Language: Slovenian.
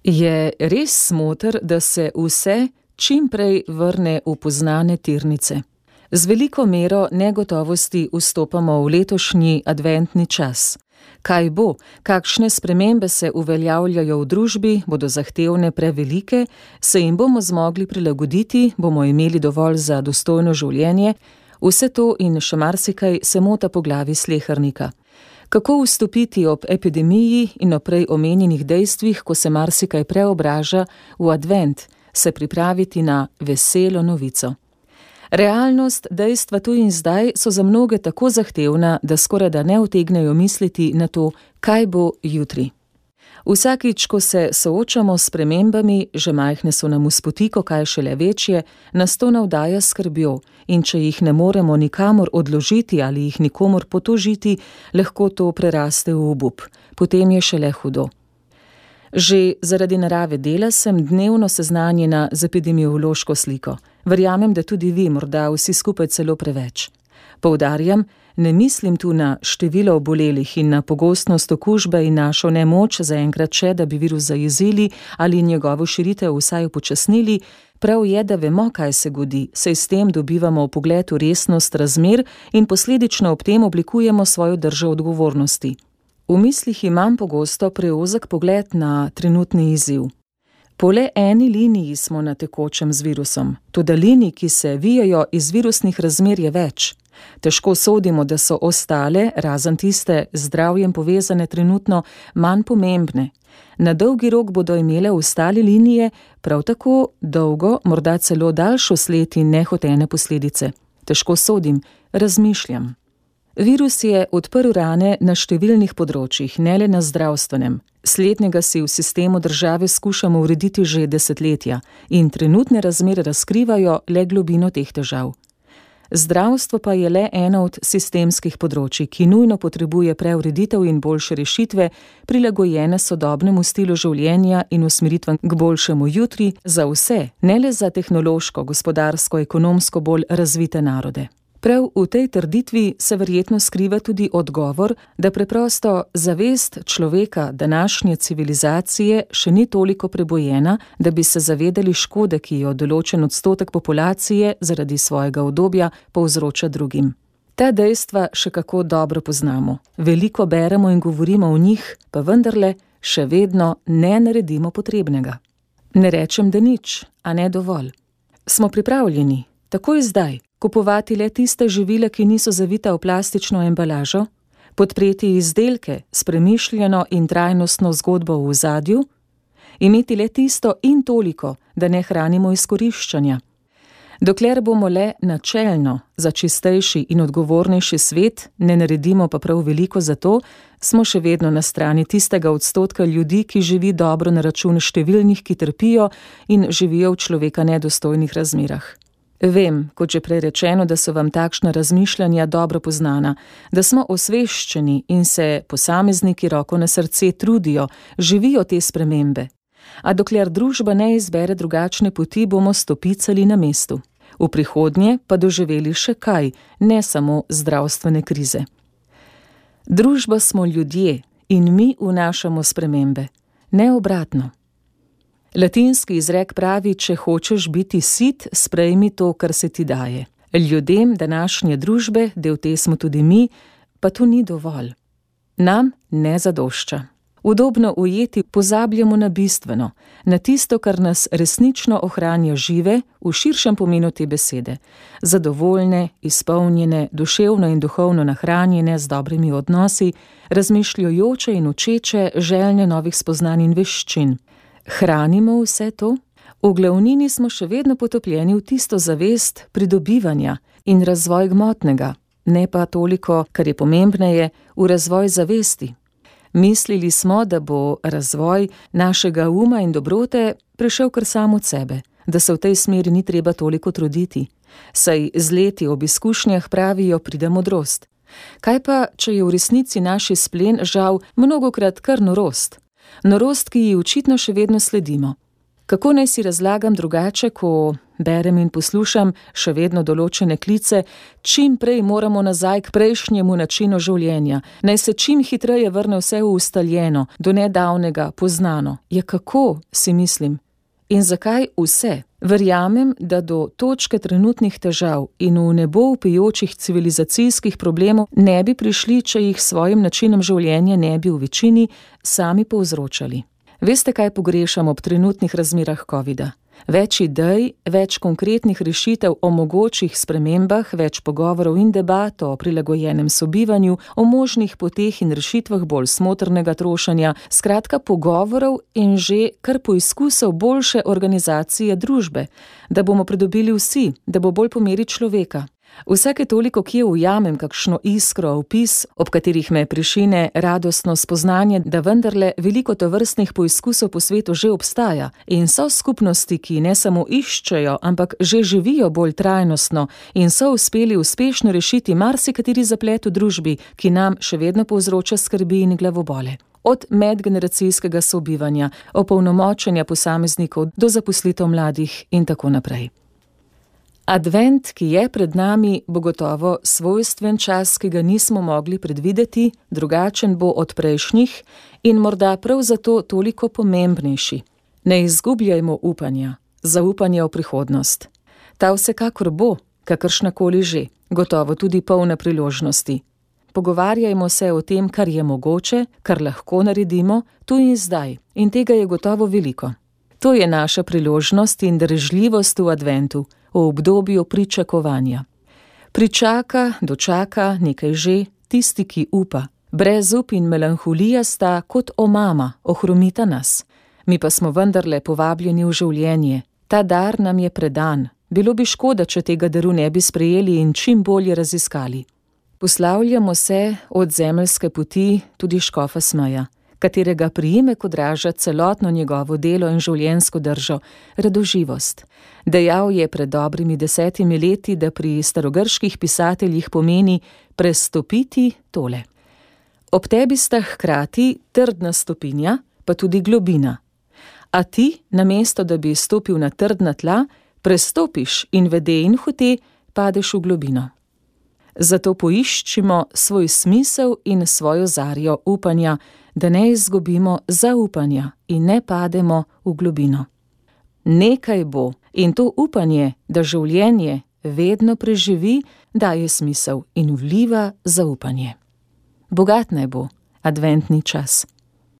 Je res smoter, da se vse čim prej vrne v poznane tirnice? Z veliko mero negotovosti vstopamo v letošnji adventni čas. Kaj bo, kakšne spremembe se uveljavljajo v družbi, bodo zahtevne prevelike, se jim bomo zmogli prilagoditi, bomo imeli dovolj za dostojno življenje, vse to in še marsikaj se mota po glavi slehernika. Kako vstopiti ob epidemiji in o prej omenjenih dejstvih, ko se marsikaj preobraža v advent, se pripraviti na veselo novico. Realnost, dejstva tu in zdaj so za mnoge tako zahtevna, da skorajda ne utegnejo misliti na to, kaj bo jutri. Vsakič, ko se soočamo s spremembami, že majhne so nam v spotiko, kaj šele večje, nas to navdaja skrbjo in če jih ne moremo nikamor odložiti ali jih nikomor potožiti, lahko to preraste v obup. Potem je šele hudo. Že zaradi narave dela sem dnevno seznanjena z epidemiološko sliko. Verjamem, da tudi vi, morda vsi skupaj celo preveč. Poudarjam, ne mislim tu na število obolelih in na pogostnost okužbe in našo nemoč zaenkrat še, da bi virus zajezili ali njegovo širitev vsaj upočasnili. Prav je, da vemo, kaj se godi, saj s tem dobivamo vpogled v resnost razmer in posledično ob tem oblikujemo svojo držo odgovornosti. V mislih imam pogosto preozek pogled na trenutni izziv. Po le eni liniji smo na tekočem z virusom, toda linij, ki se vijajo iz virusnih razmer, je več. Težko sodimo, da so ostale, razen tiste z zdravjem povezane trenutno, manj pomembne. Na dolgi rok bodo imele ostale linije prav tako dolgo, morda celo daljšo sled in nehotene posledice. Težko sodim, razmišljam. Virus je odprl rane na številnih področjih, ne le na zdravstvenem. Slednjega si v sistemu države skušamo urediti že desetletja in trenutne razmere razkrivajo le globino teh težav. Zdravstvo pa je le eno od sistemskih področij, ki nujno potrebuje preureditev in boljše rešitve, prilagojene sodobnemu stilu življenja in usmeritvam k boljšemu jutri za vse, ne le za tehnološko, gospodarsko, ekonomsko bolj razvite narode. Prav v tej trditvi se verjetno skriva tudi odgovor, da preprosto zavest človeka današnje civilizacije še ni toliko prebojena, da bi se zavedali škode, ki jo določen odstotek populacije zaradi svojega udobja povzroča drugim. Ta dejstva še kako dobro poznamo. Veliko beremo in govorimo o njih, pa vendarle še vedno ne naredimo potrebnega. Ne rečem, da nič, a ne dovolj. Smo pripravljeni, takoj zdaj, kupovati le tiste živila, ki niso zavita v plastično embalažo, podpreti izdelke s premišljeno in trajnostno zgodbo v ozadju, imeti le tisto in toliko, da ne hranimo izkoriščanja. Dokler bomo le načelno za čistejši in odgovornejši svet, ne naredimo pa prav veliko za to, smo še vedno na strani tistega odstotka ljudi, ki živi dobro na račun številnih, ki trpijo in živijo v človeka nedostojnih razmerah. Vem, kot že prej rečeno, da so vam takšna razmišljanja dobro poznana, da smo osveščeni in se posamezniki roko na srce trudijo, živijo te spremembe. A dokler družba ne izbere drugačne poti, bomo stopicali na mestu. V prihodnje pa doživeli še kaj, ne samo zdravstvene krize. Družba smo ljudje in mi vnašamo spremembe, ne obratno. Latinski izrek pravi, če hočeš biti sit, sprejmi to, kar se ti daje. Ljudem današnje družbe, del te smo tudi mi, pa to ni dovolj. Nam ne zadošča. Udobno ujeti pozabljamo na bistveno, na tisto, kar nas resnično ohranja žive v širšem pomenu te besede. Zadovoljne, izpolnjene, duševno in duhovno nahranjene z dobrimi odnosi, razmišljajoče in učeče, željne novih spoznanj in veščin. Hranimo vse to? V glavnini smo še vedno potopljeni v tisto zavest pridobivanja in razvoj gmotnega, ne pa toliko, kar je pomembneje, v razvoj zavesti. Mislili smo, da bo razvoj našega uma in dobrote prišel kar sam od sebe, da se v tej smeri ni treba toliko truditi. Saj z leti ob izkušnjah pravijo pride modrost. Kaj pa, če je v resnici naš izplen žal mnogokrat kar norost? Norost, ki ji očitno še vedno sledimo. Kako naj si razlagam drugače, ko berem in poslušam še vedno določene klice, čim prej moramo nazaj k prejšnjemu načinu življenja, naj se čim hitreje vrne vse v ustaljeno, do nedavnega, poznano. Ja, kako, si mislim. In zakaj vse? Verjamem, da do točke trenutnih težav in v nebo vpijočih civilizacijskih problemov ne bi prišli, če jih s svojim načinom življenja ne bi v večini sami povzročali. Veste, kaj pogrešam ob trenutnih razmerah covida? Več idej, več konkretnih rešitev o mogočih spremembah, več pogovorov in debat o prilagojenem sobivanju, o možnih poteh in rešitvah bolj smotrnega trošenja, skratka pogovorov in že kar poizkusov boljše organizacije družbe, da bomo pridobili vsi, da bo bolj po meri človeka. Vsake toliko kje ujamem kakšno iskro, opis, ob katerih me prišine radostno spoznanje, da vendarle veliko tovrstnih poizkusov po svetu že obstaja in so skupnosti, ki ne samo iščejo, ampak že živijo bolj trajnostno in so uspeli uspešno rešiti marsikateri zaplet v družbi, ki nam še vedno povzroča skrbi in glavobole. Od medgeneracijskega sobivanja, opolnomočenja posameznikov do zaposlitev mladih in tako naprej. Advent, ki je pred nami, bo gotovo svojstven čas, ki ga nismo mogli predvideti, drugačen bo od prejšnjih in morda prav zato toliko pomembnejši. Ne izgubljajmo upanja, zaupanja v prihodnost. Ta vsekakor bo, kakršnakoli že, gotovo tudi polna priložnosti. Pogovarjajmo se o tem, kar je mogoče, kar lahko naredimo, tu in zdaj, in tega je gotovo veliko. To je naša priložnost in darežljivost v adventu, v obdobju pričakovanja. Pričaka, dočaka, nekaj že, tisti, ki upa. Brezup in melanholija sta kot omama, ohromita nas. Mi pa smo vendarle povabljeni v življenje. Ta dar nam je predan. Bilo bi škoda, če tega daru ne bi sprejeli in čim bolje raziskali. Poslavljamo se od zemeljske poti tudi škofa Smeja, katerega priimek odraža celotno njegovo delo in življenjsko držo, radoživost. Dejal je pred dobrimi 10 leti, da pri starogrških pisateljih pomeni prestopiti tole. Ob tebi sta hkrati trdna stopinja, pa tudi globina. A ti, namesto da bi stopil na trdna tla, prestopiš in vede in hote padeš v globino. Zato poiščimo svoj smisel in svojo zarjo upanja, da ne izgubimo zaupanja in ne pademo v globino. Nekaj bo in to upanje, da življenje vedno preživi, daje smisel in vliva zaupanje. Bogat naj bo adventni čas.